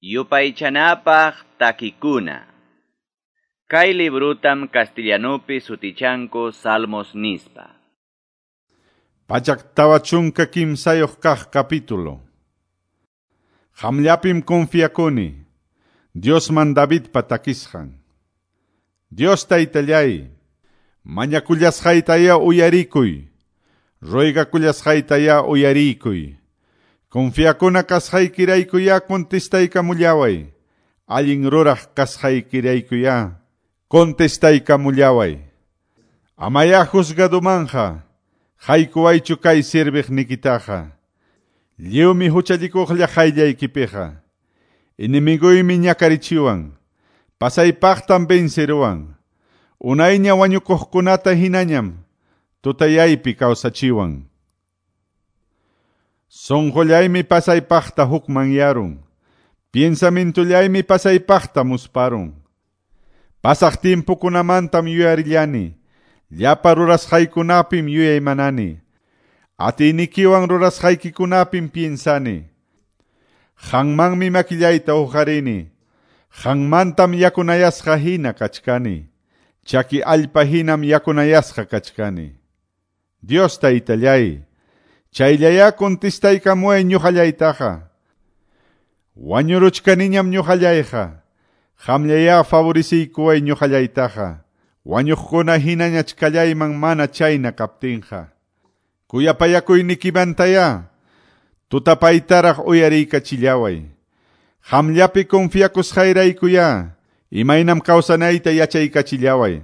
Yupaychanapaq takikuna. Kay librutam castellanupi sutichanku Salmos nispa. 143 kaq capítulo. Qamllapim confiakuni, Diosman Davidpa takisqan. Dios taytallay, mañakullasqaytaya uyarikuy, ruegakullasqaytaya uyarikuy. Confiakuna kasqaykiraykuya contestaykamullaway, allin ruraq kasqaykiraykuya contestaykamullaway. Amaya juzgadumanja, haykuwaychu kay sirviqnikitaqa. Lliwmi huchallikuqlla qayllaykipiqa. Enemiguymi ñakarichiwan, pasaypaqtam venceruwan. Unayña wañukuqkunata hinañam tutayaypi kawsachiwan. Sonqollaymi pasaypaqta hukmanyarun, piensamintullaymi pasaypaqta musparun. Pasaq timpukunamantam yuyarillani, llapa rurasqaykunapim yuyaymanani. Atiynikiwan rurasqaykikunapim piensani. Qanmanmi makillayta uqarini, qanmantam yakunayasqa hina kachkani, chaki allpa hinam yakunayasqa kachkani. Dios taytallay, chayllayá contestaykamuway ñuqallaytaqa. Wañuruchkaniñam ñuqallayqa, qamllayá favoreciykuway ñuqallaytaqa, wañuqkuna hinañachkallayman mana chayna kaptinqa. Kuyapayakuynikimantayá, tutapaytaraq uyariykachillaway. Qamllapi confiakusqayraykuya, imaynam kawsanayta yachaykachillaway.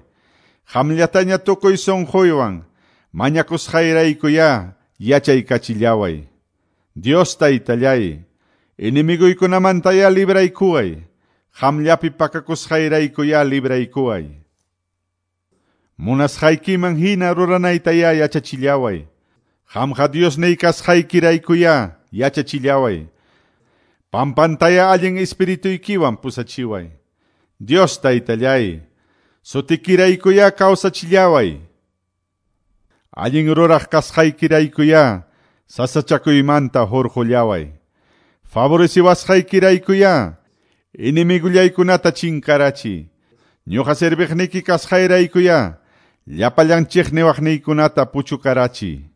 Qamllataña tukuy sunquywan, mañakusqayraykuya yachaykachillaway. Dios taytallay, enemiguykunamantaya libraykuway, qamllapi pakakusqayraykuya libraykuway. Munasqaykiman hina ruranaytaya yachachillaway. Qamqa Diosniy kasqaykiraykuya yachachillaway. Pampantaya allin espirituykiwan pusachiway. Dios taytallay, sutikiraykuya kawsachillaway. Allin ruraq kasqaykiraykuya sasachakuymanta hurqullaway. Favoreciwasqaykiraykuya enemigullaykunata chinkarachiy. Ñuqa serviqniki kasqayraykuya llapallan chiqniwaqniykunata puchukarachiy.